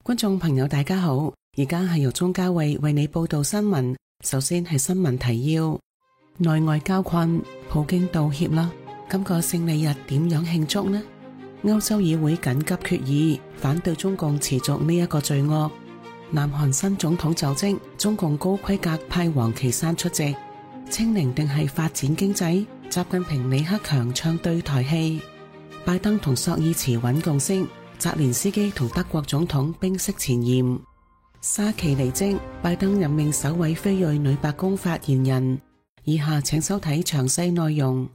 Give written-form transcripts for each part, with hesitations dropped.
觀眾朋友大家好，而家係由鍾嘉慧為你報道新聞。首先係新聞提要：內外交困，普京道歉啦。今個勝利日點樣慶祝呢？歐洲議會緊急決議，反對中共持續呢一個罪惡。南韓新總統就職，中共高規格派王岐山出席。清零定係發展經濟？習近平李克強唱對台戲。拜登同索爾茨穩共識。澤連斯基同德國總統冰釋前嫌。沙奇離職，拜登任命首位非裔女白宮發言人。以下請收睇詳細內容。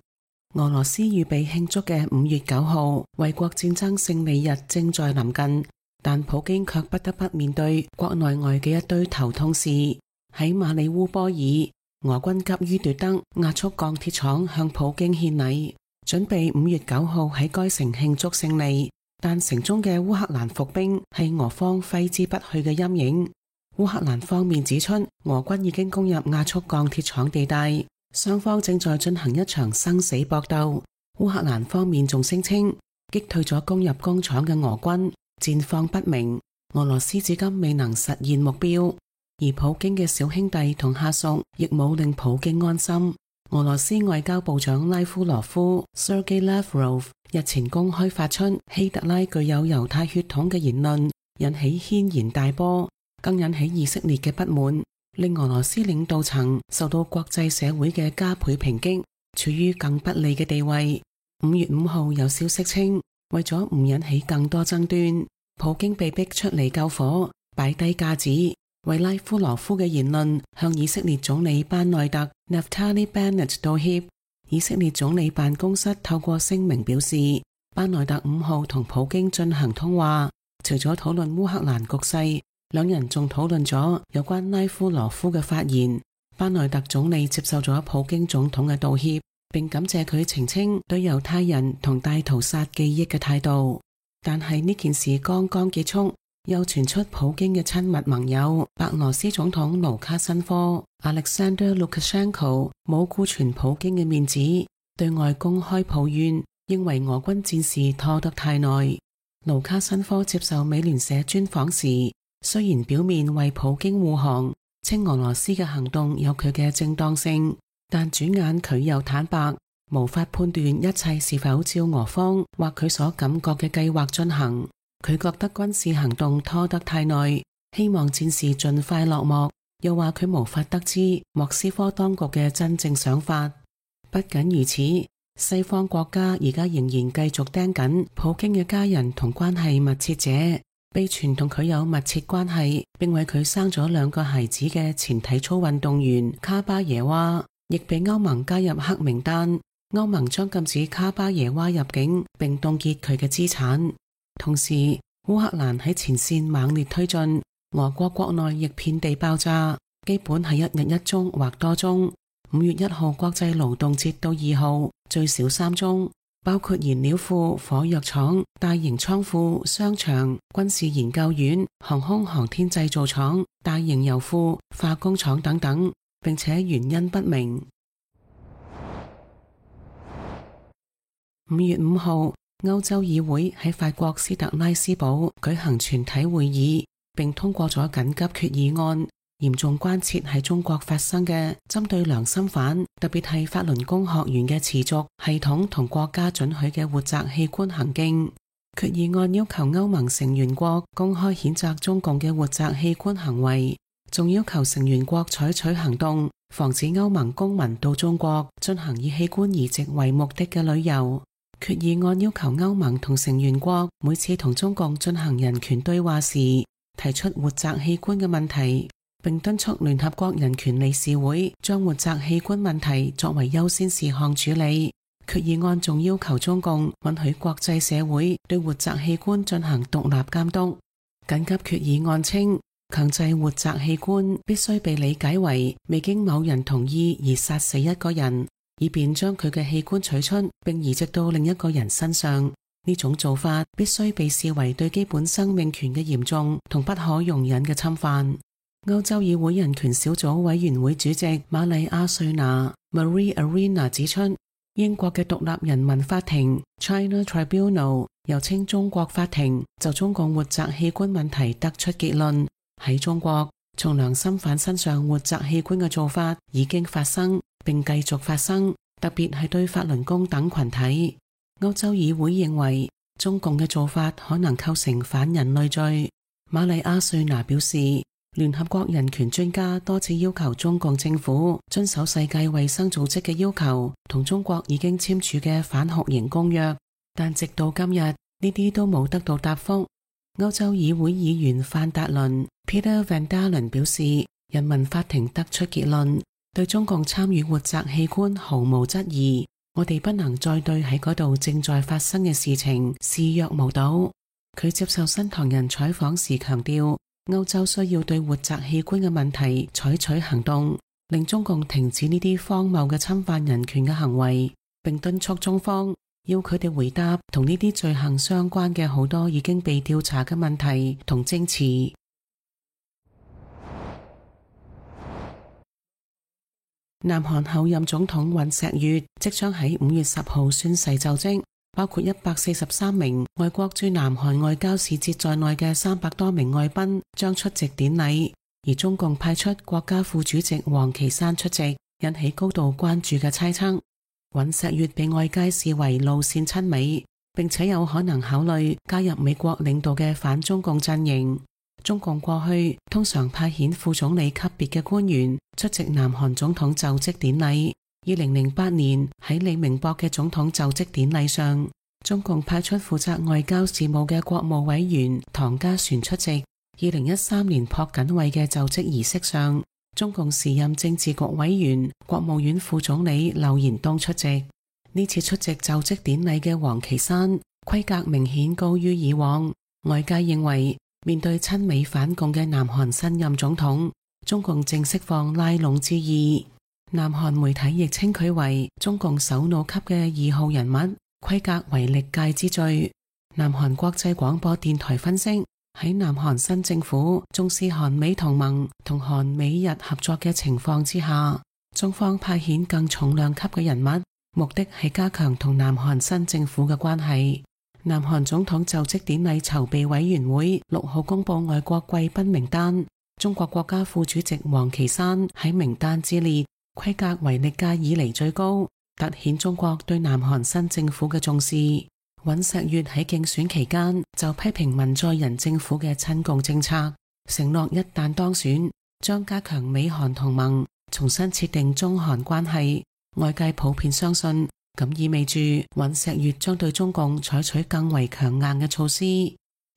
俄羅斯預備慶祝嘅5月9號衛國戰爭勝利日正在臨近，但普京卻不得不面對國內外嘅一堆頭痛事。喺馬里烏波爾，俄軍急於奪得壓縮鋼鐵廠，向普京獻禮，準備5月9號喺該城慶祝勝利。但城中嘅烏克蘭伏兵係俄方揮之不去嘅陰影。烏克蘭方面指出，俄軍已經攻入壓縮鋼鐵廠地帶，雙方正在進行一場生死搏鬥。烏克蘭方面仲聲稱擊退咗攻入工廠嘅俄軍，戰況不明。俄羅斯至今未能實現目標，而普京嘅小兄弟同下屬亦冇令普京安心。俄羅斯外交部長拉夫羅夫 Sergei Lavrov 日前公開發出希特拉具有猶太血統嘅言論，引起軒然大波，更引起以色列嘅不滿，令俄羅斯領導層受到國際社會嘅加倍抨擊，處於更不利嘅地位。5月5號有消息稱，為咗唔引起更多爭端，普京被逼出嚟救火，擺低架子，為拉夫羅夫嘅言論向以色列總理班內特 Naftali Bennett 道歉。以色列總理辦公室透過聲明表示，班內特5號同普京進行通話，除咗討論烏克蘭局勢，兩人仲討論咗有關拉夫羅夫嘅發言。班內特總理接受咗普京總統嘅道歉，並感謝佢澄清對猶太人同大屠殺記憶嘅態度。但係呢件事剛剛結束，又傳出普京嘅親密盟友白羅斯總統盧卡申科 Alexander Lukashenko 冇顧全普京嘅面子，對外公開抱怨，認為俄軍戰事拖得太耐。盧卡申科接受美聯社專訪時，雖然表面為普京護航，稱俄羅斯嘅行動有佢嘅正當性，但轉眼佢又坦白，無法判斷一切是否照俄方或佢所感覺嘅計劃進行。佢覺得軍事行動拖得太耐，希望戰事盡快落幕，又話佢無法得知莫斯科當局嘅真正想法。不僅如此，西方國家而家仍然繼續盯緊普京嘅家人同關係密切者，被傳同佢有密切關係並為佢生咗2個孩子嘅前體操運動員卡巴耶娃，亦被歐盟加入黑名單。歐盟將禁止卡巴耶娃入境並凍結佢嘅資產。同時，烏克蘭喺前線猛烈推進，俄國國內亦遍地爆炸，基本係1日1宗或多宗。5月1號國際勞動節到2號最少3宗，包括燃料庫、火藥廠、大型倉庫、商場、軍事研究院、航空航天製造廠、大型油庫、化工廠等等，並且原因不明。5月5號歐洲議會喺法國斯特拉斯堡舉行全體會議，並通過咗緊急決議案，嚴重關切喺中國發生嘅針對良心犯，特別係法輪功學員嘅持續、系統同國家准許嘅活摘器官行徑。決議案要求歐盟成員國公開譴責中共嘅活摘器官行為，仲要求成員國採取行動，防止歐盟公民到中國進行以器官移植為目的嘅旅遊。決議案要求歐盟同成員國每次同中共進行人權對話時，提出活摘器官嘅問題，並敦促聯合國人權理事會將活摘器官問題作為優先事項處理。決議案仲要求中共允許國際社會對活摘器官進行獨立監督。緊急決議案稱，強制活摘器官必須被理解為未經某人同意而殺死一個人，以便將佢嘅器官取出並移植到另一個人身上。呢種做法必須被視為對基本生命權嘅嚴重同不可容忍嘅侵犯。歐洲議會人權小組委員會主席瑪麗亞瑞娜 Marie Arena 指出，英國嘅獨立人民法庭 China Tribunal 又稱中國法庭就中共活摘器官問題得出結論，喺中國從良心犯身上活摘器官嘅做法已經發生並繼續發生，特別係對法輪功等群體。歐洲議會認為中共嘅做法可能構成反人類罪。瑪麗亞瑞娜表示，聯合國人權專家多次要求中共政府遵守世界衛生組織嘅要求同中國已經簽署嘅反酷刑公約，但直到今日呢啲都冇得到答覆。歐洲議會議員范達倫 Peter Van Dalen 表示，人民法庭得出結論，對中共參與活摘器官毫無質疑，我哋不能再對喺嗰度正在發生嘅事情視若無睹。佢接受新唐人採訪時強調，歐洲需要對活摘器官嘅問題採取行動，令中共停止呢啲荒謬嘅侵犯人權嘅行為，並敦促中方要佢哋回答同呢啲罪行相關嘅好多已經被調查嘅問題同證詞。南韓候任總統尹錫悅即將喺5月10號宣誓就職，包括143名外國駐南韓外交使節在內嘅300多名外賓將出席典禮，而中共派出國家副主席王岐山出席，引起高度關注嘅猜測。尹錫悅被外界視為路線親美，並且有可能考慮加入美國領導嘅反中共陣營。中共過去通常派遣副總理級別嘅官員出席南韓總統就職典禮。2008年喺李明博嘅總統就職典禮上，中共派出負責外交事務嘅國務委員唐家璇出席。2013年朴槿惠嘅就職儀式上，中共時任政治局委員、國務院副總理劉延東出席。呢次出席就職典禮嘅王岐山規格明顯高於以往，外界認為面對親美反共嘅南韓新任總統，中共正釋放拉攏之意。南韓媒體亦稱佢為中共首腦級嘅2號人物，規格為歷屆之最。南韓國際廣播電台分析，喺南韓新政府重視韓美同盟同韓美日合作嘅情況之下，中方派遣更重量級嘅人物，目的係加強同南韓新政府嘅關係。南韓總統就職典禮籌備委員會6號公布外國貴賓名單，中國國家副主席王岐山喺名單之列，規格為歷屆以嚟最高，凸顯中國對南韓新政府嘅重視。尹錫悅喺競選期間就批評文在寅政府嘅親共政策，承諾一旦當選將加強美韓同盟，重新設定中韓關係。外界普遍相信，咁意味住尹錫悅將對中共採取更為強硬嘅措施。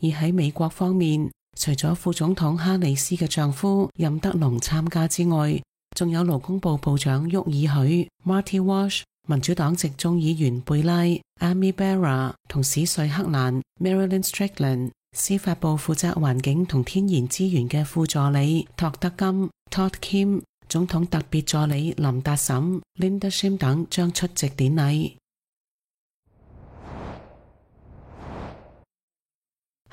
而喺美國方面，除咗副總統哈里斯嘅丈夫任德龍參加之外，仲有勞工部部長沃爾許 Marty Walsh、民主黨籍眾議員貝拉 Amy Barra 同史瑞克蘭 Marilyn Strickland、司法部負責環境同天然資源嘅副助理托德金 Todd Kim、總統特別助理林達沈 Linda Shim 等將出席典禮。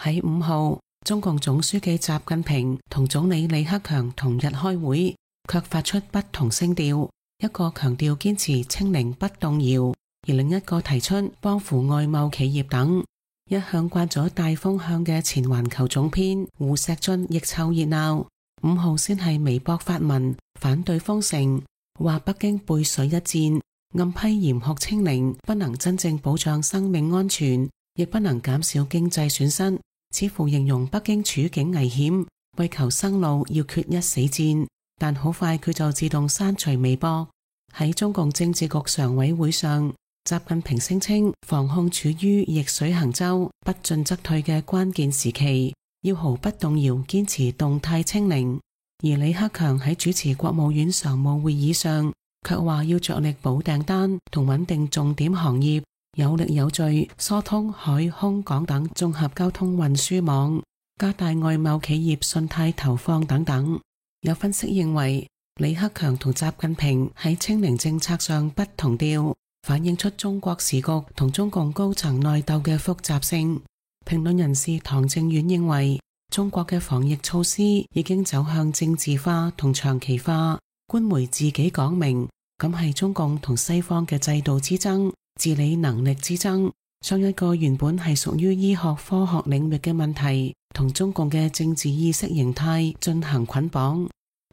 喺5號，中共總書記習近平同總理李克強同日開會，卻發出不同聲調，一個強調堅持清零不動搖，而另一個提出幫扶外貿企業等。一向慣咗帶風向嘅前環球總編胡錫進亦湊熱鬧。5號先係微博發文反對封城，話北京背水一戰，暗批嚴酷清零不能真正保障生命安全，亦不能減少經濟損失，似乎形容北京處境危險，為求生路要決一死戰。但好快佢就自動刪除微博。喺中共政治局常委會上，習近平聲稱防控處於逆水行舟、不進則退嘅關鍵時期，要毫不動搖堅持動態清零。而李克強喺主持國務院常務會議上，卻話要着力保訂單同穩定重點行業，有力有序疏通海空港等綜合交通運輸網，加大外貿企業信貸投放等等。有分析認為，李克強同習近平喺清零政策上不同調，反映出中國時局同中共高層內鬥嘅複雜性。評論人士唐正遠認為，中國嘅防疫措施已經走向政治化同長期化，官媒自己講明咁係中共同西方嘅制度之爭、治理能力之爭，將一個原本係屬於醫學科學領域嘅問題，同中共嘅政治意識形態進行捆綁。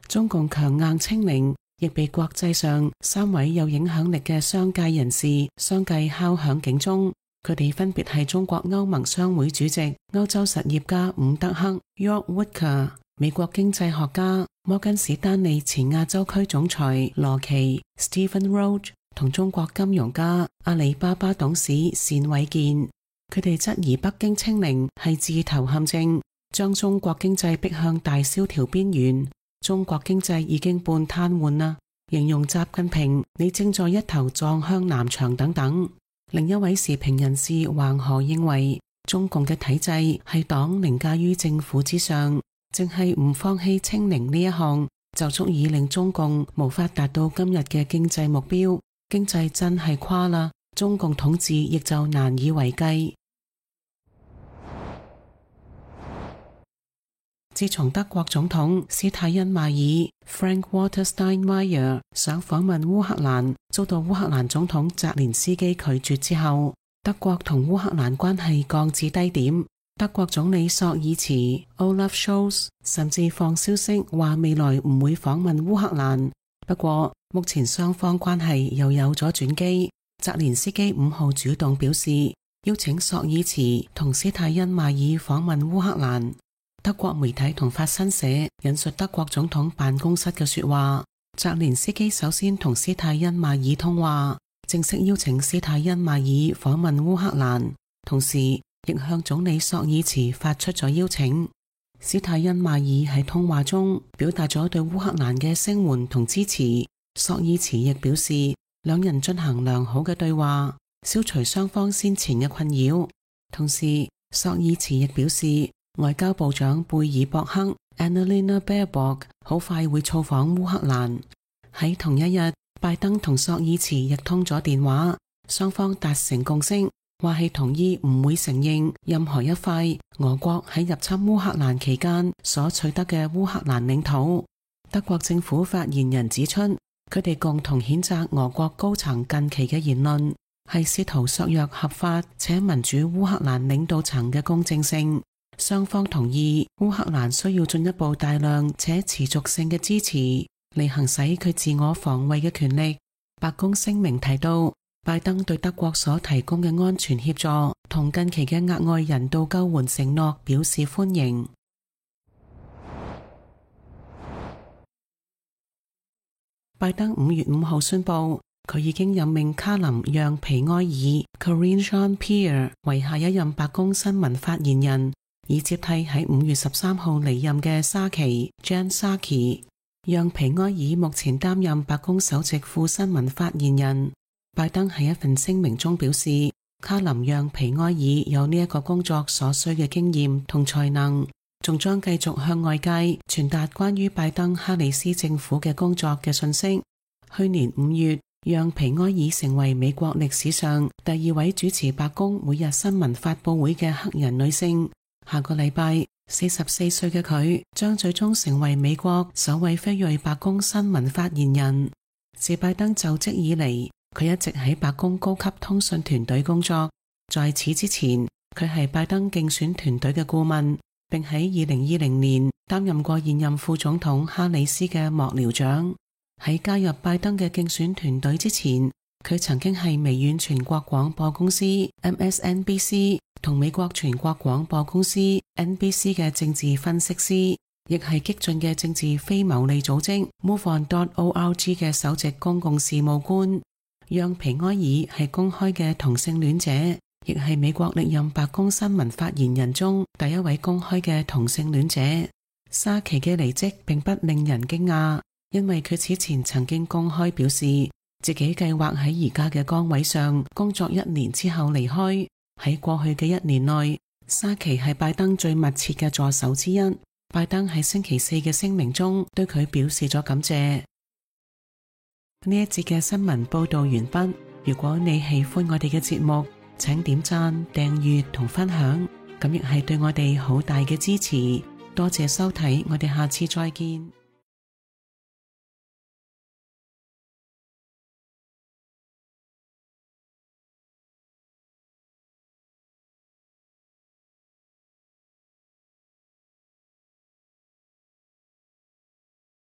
中共強硬清零，亦被國際上3位有影響力嘅商界人士相繼敲響警鐘。佢哋分別係中國歐盟商會主席、歐洲實業家伍德克 （Jörg Wuttke）、美國經濟學家摩根士丹利前亞洲區總裁羅奇 （Stephen Roach） 同中國金融家阿里巴巴董事單偉健。佢哋質疑北京清零係自投陷阱，將中國經濟逼向大蕭條邊緣。中國經濟已經半癱瘓啦，形容習近平你正在一頭撞向南牆等等。另一位時評人士黃河認為，中共嘅體制係黨凌駕於政府之上，淨係唔放棄清零呢一項，就足以令中共無法達到今日嘅經濟目標。經濟真係垮啦，中共統治亦就難以為繼。自從德國總統施泰因邁爾 （Frank-Walter Steinmeier） 想訪問烏克蘭，遭到烏克蘭總統澤連斯基拒絕之後，德國同烏克蘭關係降至低點。德國總理朔爾茨 （Olaf Scholz） 甚至放消息話未來唔會訪問烏克蘭。不過，目前雙方關係又有咗轉機。澤連斯基5號主動表示邀請朔爾茨同施泰因邁爾訪問烏克蘭。德國媒體同法新社引述德國總統辦公室嘅說話，澤連斯基首先同施泰因邁爾通話，正式邀請施泰因邁爾訪問烏克蘭，同時亦向總理朔爾茨發出咗邀請。施泰因邁爾喺通話中表達咗對烏克蘭嘅聲援同支持，朔爾茨亦表示兩人進行良好嘅對話，消除雙方先前嘅困擾。同時，朔爾茨亦表示外交部長貝爾博克 Annalena Baerbock 好快會造訪烏克蘭。喺同一日，拜登同朔爾茨亦通咗電話，雙方達成共識，話係同意唔會承認任何一塊俄國喺入侵烏克蘭期間所取得嘅烏克蘭領土。德國政府發言人指出，佢哋共同譴責俄國高層近期嘅言論，係試圖削弱合法且民主烏克蘭領導層嘅公正性。雙方同意烏克蘭需要進一步大量且持續性嘅支持，嚟行使佢自我防衛嘅權力。白宮聲明提到，拜登對德國所提供嘅安全協助同近期嘅額外人道救援承諾表示歡迎。拜登5月5號宣布，佢已經任命卡琳讓皮埃爾 （Karine Jean-Pierre） 為下一任白宮新聞發言人，以接替喺5月13號離任嘅沙奇 （Jen Psaki）。讓皮埃爾目前擔任白宮首席副新聞發言人。拜登喺一份聲明中表示，卡琳讓皮埃爾有呢一個工作所需嘅經驗同才能，仲將繼續向外界傳達關於拜登哈里斯政府嘅工作嘅信息。去年5月，讓皮埃爾成為美國歷史上第2位主持白宮每日新聞發佈會嘅黑人女性。下個禮拜，44歲嘅佢將最終成為美國首位非裔白宮新聞發言人。自拜登就職以嚟，佢一直喺白宮高級通訊團隊工作。在此之前，佢係拜登競選團隊嘅顧問，並喺2020年擔任過現任副總統哈里斯嘅幕僚長。喺加入拜登嘅競選團隊之前，佢曾經係微軟全國廣播公司 MSNBC 同美國全國廣播公司 NBC 嘅政治分析師，亦係激進嘅政治非牟利組織 MoveOn.org 嘅首席公共事務官。讓皮埃爾係公開嘅同性戀者，亦係美國歷任白宮新聞發言人中第一位公開嘅同性戀者。沙奇嘅離職並不令人驚訝，因為佢此前曾經公開表示自己計劃喺而家嘅崗位上工作1年之後離開。喺過去嘅1年內，沙奇係拜登最密切嘅助手之一。拜登喺星期4嘅聲明中對佢表示咗感謝。呢一節嘅新聞報道完畢。如果你喜歡我哋嘅節目，請點讚、訂閱同分享，咁亦係對我哋好大嘅支持。多謝收睇，我哋下次再見。